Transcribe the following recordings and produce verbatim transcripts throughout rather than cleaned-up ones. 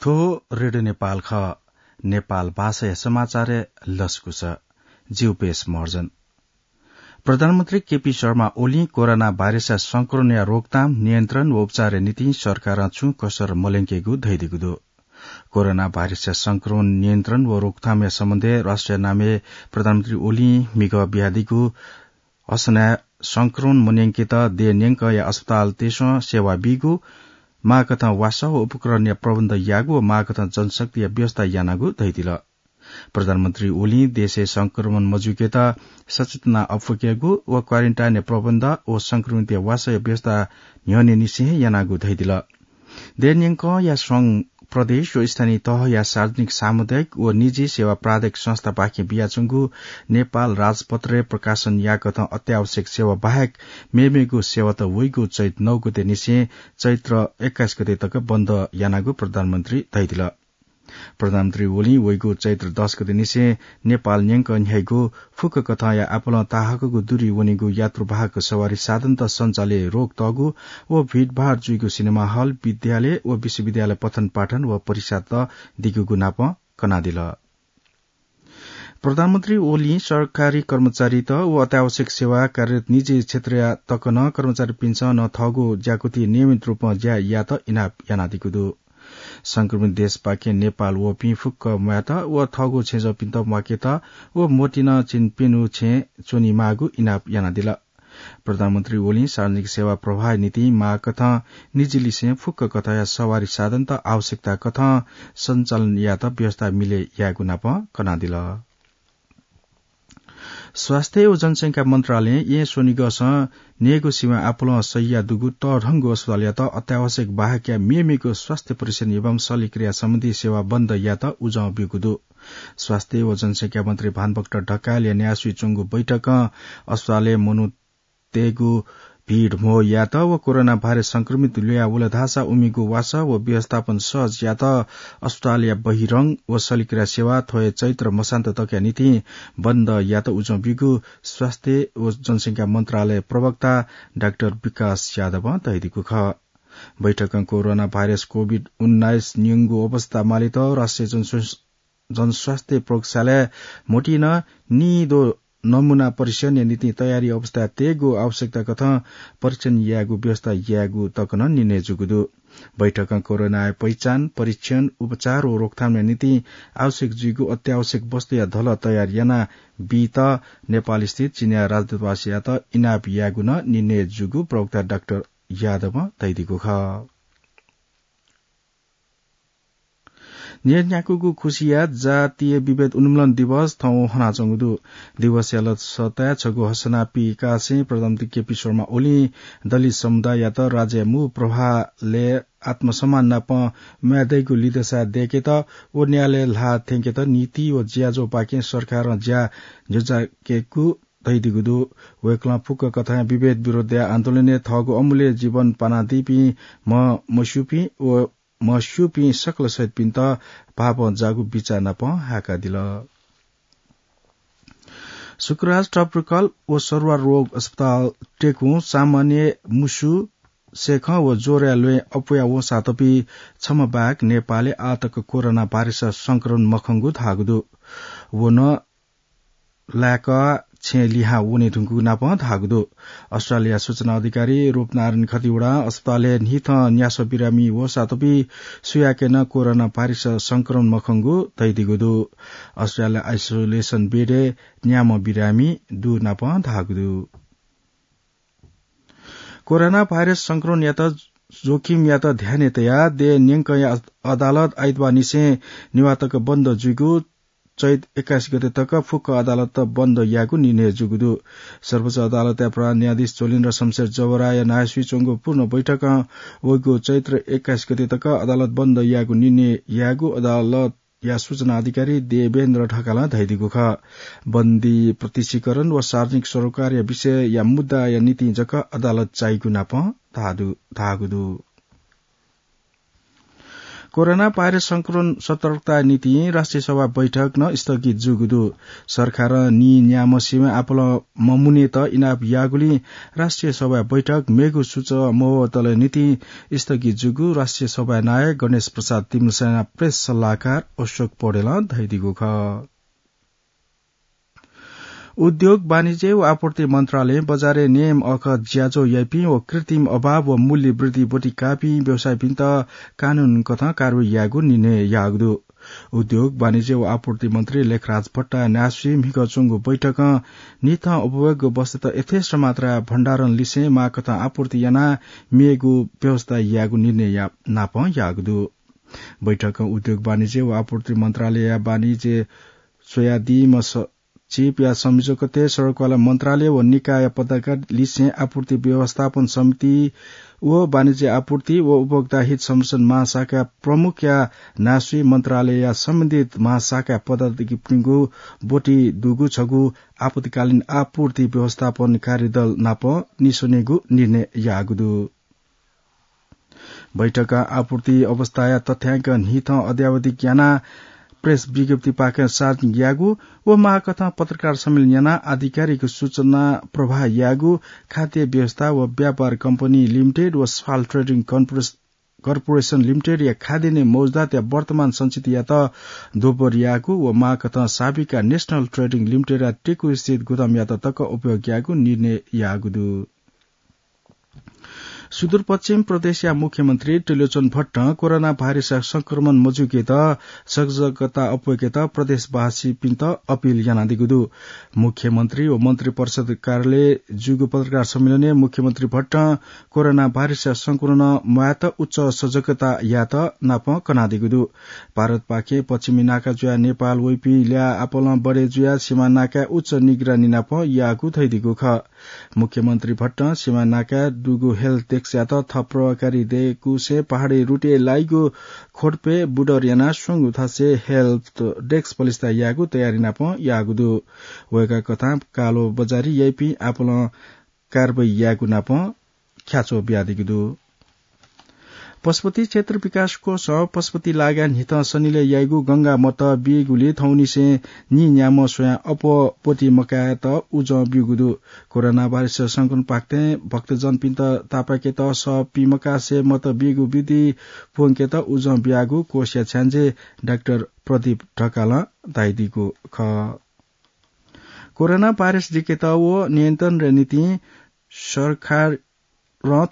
थ्व रेडियो नेपाल खः। नेपाल भाषाया समाचारय् लसकुस। जिउ पेश महर्जन। प्रधानमन्त्री केपी शर्मा ओलीं कोरोना भाइरसया संक्रमणया रोकथाम, नियन्त्रण व उपचारया निंतिं सरकारं छुं कसर मल्यंकेगु धयादीगु दु। कोरोना भाइरसया संक्रमण नियन्त्रण व रोकथामया सम्बन्धय् राष्ट्रिय नामय् प्रधानमन्त्री ओलीं म्हिगः बियादीगु असनय् संक्रमण मन्यंकेत देय् न्यंकया अस्पतालतय्सं सेवा बीगु, माःकथं वासः व उपकरणया प्रबन्ध याःगु व माःकथं जनशक्तिया व्यवस्था यानागु धयादिल। प्रधानमन्त्री ओलीं देशय् संक्रमण मजुइकेत सचेतना अप्वकेगु व क्वारेन्टाइनया प्रबन्ध व संक्रमितया वासःया व्यवस्था न्ह्यःनेनिसें हे यानागु धयादिल। देय् न्यंकया संघ, प्रदेश व स्थानीय तहया सार्वजनिक, सामुदायिक व निजी सेवा प्राधिक संस्थापाखें बियाच्वंगु नेपाल राजपत्रय् प्रकाशन याःकथं अत्यावश्यक सेवा बाहेक मेमेगु सेवात वइगु चैत नौ गते निसें चैत्र एक्काइस गते तक बन्द यानागु प्रधानमन्त्री धयादिल। प्रधानमन्त्री ओलीं वइगु चैत्र दस गते निसें नेपाल न्यंक न्ह्याइगु फुक्क कथंया आपालं ताहाकःगु दूरी वनीगु यात्रुवाहक सवारी साधनत सञ्चालय् रोक तःगु व भीडभाड जुइगु सिनेमा हल, विद्यालय व विश्वविद्यालय पठन पाठन व परीक्षात दिगुगु नापं कनादिल। प्रधानमन्त्री ओलीं सरकारी कर्मचारीत व अत्यावश्यक सेवा कार्यरत निजी क्षेत्रया तक नं कर्मचारीपिन्सं नं थःगु ज्याकुथि नियमित रूपं ज्या यायेत इनाप यानादीगु दु। संक्रमित देशपाखें नेपाल वःपिं फुक्क म्वायेत व थःगु छेँजःपिन्त म्वाकेत व मोतिनं चिन्प्यन्हु छेँ च्वनेमाःगु इनाप यानादिल। प्रधानमन्त्री ओलीं सार्वजनिक सेवा प्रवाहया निंतिं माःकथं निजी लिसें फुक्क कथंया सवारी साधनत आवश्यकता कथं सञ्चालन यायेत व्यवस्था मिले यायेगु नापं कनादिल। स्वास्थ्य व जनसंख्या मन्त्रालयं येँ स्वनिगःसं न्ययेगु सिमा आपालं सहिया दुगु तःधंगु अस्पतालयात अत्यावश्यक बाहेकया मेमेगु स्वास्थ्य परीक्षण एवं शल्यक्रिया सम्बन्धी सेवा बन्द यायेत उजं ब्यूगु दु। स्वास्थ्य व जनसंख्या मन्त्री भानुभक्त ढकालया न्यासय् च्वंगु बैठकं अस्पतालय् मनूतय्गु भीड म्हो यायेत व कोरोना भाइरस संक्रमित ल्वया वल धाःसा उमिगु वासः व व्यवस्थापन सहज यायेत अस्पतालया बहिरंग व शल्यक्रिया सेवा थ्व हे चैत्र मसान्त तकया निंतिं बन्द यायेत उजं ब्यूगु स्वास्थ्य व जनसंख्या मन्त्रालय प्रवक्ता डाक्टर विकास यादवं धयादीगु खः। बैठकं कोरोना भाइरस कोभिड उन्नाइस न्यंगु अवस्था मालेत राष्ट्रिय जनस्वा-, जनस्वास्थ्य प्रयोगशालाय् म्होतिं निदँ नमूना परीक्षणया निंतिं तयारी अवस्थाय् तयेगु आवश्यकता कथं परीक्षण यायेगु व्यवस्था यायेगु तक नं निर्णय जूगु दु। बैठकं कोरोनाया पहिचान, परीक्षण, उपचार व रोकथामया निंतिं आवश्यक जुइगु अत्यावश्यक वस्तुया धलः तयार याना बीत नेपालस्थित चीनया राजदूतावासयात इनाप यायेगु नं निर्णय जूगु प्रवक्ता डाक्टर यादवं धयादीगु खः। न्यय्न्याकूगु खुसिया जातीय विभेद उन्मूलन दिवस थौं हनाच्वंगु दु। दिवसया लसताय् छगू हसना पिकासें प्रधानमन्त्री केपी शर्मा ओलीं दलित समुदाययात राज्यया मू प्रवाहलय् आत्मसम्मान नाप म्वाये दइगु लिधंसाय् दय्केत व न्यायलय् ल्हाः थ्यंकेत नीति व ज्याझ्वःपाखें सरकारं ज्या ज्वःजाकेगु धयादीगु दु। वय्कलं फुक्क कथंया विभेद विरोधया आन्दोलनय् थःगु अमूल्य जीवन पानादीपिं म्ह-, म्हस्यूपिं व म्हस्यूपिं सकल शहीदपिन्त भावं जाःगु बिचाः नाप हाय्कादिल। शुक्रराज ट्रपिकल व सरुवा रोग अस्पताल टेकुं सामान्य मुसु, सेखं व ज्वरया ल्वय् अप्वया वंसातपि छम्ह बाहेक नेपालय् आःतक कोरोना भाइरस संक्रमण मखंगु धाःगु दु। व नं लाय्क छेँ लिहां वने धुंकूगु नाप धाःगु दु। अस्पतालया सूचना अधिकारी रूपनारायण खतिवडां अस्पतालय् न्हिथं न्यासः बिरामी वःसातपि सुयाके नं कोरोना भाइरस संक्रमण मखंगु धयादीगु दु। अस्पतालया आइसोलेसन बेडय् न्याम्ह बिरामी दु नाप धाःगु दु। कोरोना भाइरस संक्रमणयात जोखिमयात ध्यानय् तयाः देय् न्यंकया अदालत आइतबार निसें निभाः तक बन्द जुइगु चैत एक्काइस गते तक फुक्क अदालत बन्द यायेगु निर्णय जूगु दु। सर्वोच्च अदालतया प्रधान न्यायाधीश चोलेन्द्र शमशेर जवराया न्हाय्सुइ च्वंगु पूर्ण बैठकं वइगु चैत्र एक्काइस गते तक अदालत बन्द यायेगु निर्णय यायेगु अदालतया सूचना अधिकारी देवेन्द्र ढकालं धयादीगु खः। बन्दी प्रत्यक्षीकरण व सार्वजनिक सरोकारया विषयया मुद्दाया निंतिं जक अदालत चाइगु नाप धाःदु-, धाःगु दु। कोरोना भाइरस संक्रमण सतर्कता निंतिं राष्ट्रिय सभा बैठक नं स्थगित जूगु दु। सरकारं नीन्याम्ह सिमा आपालं ममुनेत इनाप याःगुलिं राष्ट्रिय सभा बैठक मेगु सूचक मवतले निंतिं स्थगित जूगु राष्ट्रिय सभा नायः गणेश प्रसाद तिमल्लसेना प्रेस सल्लाहकार अशोक पौडेलं धयादीगु खः। उद्योग, वाणिज्य व आपूर्ति मन्त्रालयं बजारय् नेमअःगु ज्याझ्वः याइपिं व कृत्रिम अभाव व मूल्य वृद्धि ब्वति काःपिं व्यवसायीपिन्त कानून कथं कारवाही यायेगु निर्णय याःगु दु। उद्योग, वाणिज्य व आपूर्ति मन्त्री लेखराज भट्टया न्ह्यासुइ म्हिगः च्वंगु बैठकं न्हिथं उपभोग्य वस्तुत यथेष्ट मात्राय् भण्डारण लिसें माःकथं आपूर्ति यानाः मेगु व्यवस्था यायेगु निर्णय या-, नापं याःगु दु। बैठकं उद्योग, वाणिज्य व आपूर्ति मन्त्रालयया वाणिज्य स्वयादीम्ह सचिवया संयोजकत्वय् सडकवाला मन्त्रालय व निकाय पदाधिकारी लिसें आपूर्ति व्यवस्थापन समिति व वाणिज्य आपूर्ति व उपभोक्ता हित संरक्षण महाशाखा प्रमुखया न्ह्यासुइ मन्त्रालयया सम्बन्धित महाशाखा पदाधिकारीपिनिगु ब्वति दुगु छगू आपतकालीन आपूर्ति व्यवस्थापन कार्यदल नाप निस्वनेगु निर्णय याःगु दु। बैठकं आपूर्ति अवस्थाया तथ्याङ्क न्हिथं अद्यावधिक यानाः प्रेस विज्ञप्तिपाखें सार्वजनिक याःगु व माःकथं पत्रकार सम्मेलन यानाः आधिकारिक सूचना प्रवाह याःगु खाद्य व्यवस्था व व्यापार कम्पनी लिमिटेड व सफाल ट्रेडिङ कर्पोरेस-, कर्पोरेसन लिमिटेडया खाद्यान्न मौजुदातया वर्तमान सञ्चितियात दोब्बर याःगु व माःकथं साबिका नेसनल ट्रेडिङ लिमिटेडया टेकुस्थित गुदामयात तक उपयोग यायेगु निर्णय याःगु दु। सुदूरपश्चिम प्रदेशया मुख्यमन्त्री त्रिलोचन भट्टं कोरोना भाइरसया संक्रमण मजुइकेत सजगता अप्वय्केत प्रदेशवासीपिन्त अपिल यानादीगु दु। मुख्यमन्त्री व मन्त्रिपरिषद कार्यालयय् जूगु पत्रकार सम्मेलनय् मुख्यमन्त्री भट्टं कोरोना भाइरसया संक्रमण म्वायेत उच्च सजगता यायेत नापं कनादीगु दु। भारतपाखें पश्चिमी नाका जुयाः नेपाल वइपिं ल्याः आपालं बढे जुयाः सीमा नाकाय् उच्च निगरानी नापं याःगु धयादीगु खः। मुख्यमन्त्री भट्टं सीमा नाकाय् दुगु हेल्प डेस्कयात थप प्रभावकारी दयेकुसें पहाडी रुटय् लाइगु खोटपे बुडर यानाः स्वंगु थासय् हेल्प डेस्क पलिस्था यायेगु तयारी नापं याःगु दु। वय्कः कथं कालो बजारी याइपिं आपालं कारवाही यायेगु नापं ख्याच्वः बियादीगु दु। पशुपति क्षेत्र विकास कोषं पशुपति लागाय् न्हिथं सनिलय् याइगु गंगा मत बीगुलिं थौंनिसें नीन्याम्ह स्वयां अप्वः ब्वति मकायेत उजं ब्यूगु दु। कोरोना भाइरस संक्रमण पाखें भक्तजनपिन्त तापाकेत सः पीमकासे मत बीगु विधि प्वंकेत उजं बियागु कोषया छ्याञ्जे डाक्टर प्रदीप ढकालं धयादीगु खः। कोरोना भाइरस दिकेत व नियन्त्रणया निंतिं सरकारं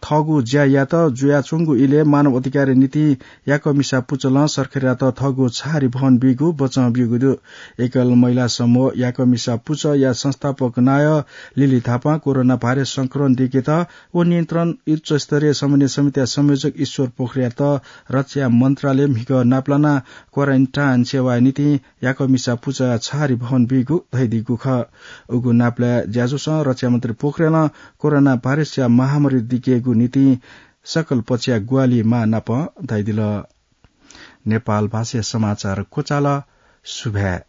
थःगु ज्या यात। जुयाच्वंगु इलय् मानव अधिकारया निंतिं याकःमिसा पुचलं सरकारयात थःगु छहारी भवन बीगु बचं ब्यूगु दु। एकल महिला समूह याकःमिसा पुचःया संस्थापक नायः लिली थापां कोरोना भाइरस संक्रमण दिकेत व नियन्त्रण उच्चस्तरीय समन्वय समितिया संयोजक ईश्वर पोखरेलयात रक्षा मन्त्रालयं म्हिगः नापलानाः क्वारेन्टाइन सेवाया निंतिं याकःमिसा पुचःया छहारी भवन बीगु धयादीगु खः। उगु नापलाये ज्याझ्वलय् रक्षा मन्त्री पोखरेलं कोरोना भाइरसया महामारी दिकेगु निंतिं सकल पक्षया ग्वाहालि माः नापं धयादिल। नेपाल भाषाया समाचार क्वचाल। सुभाय्।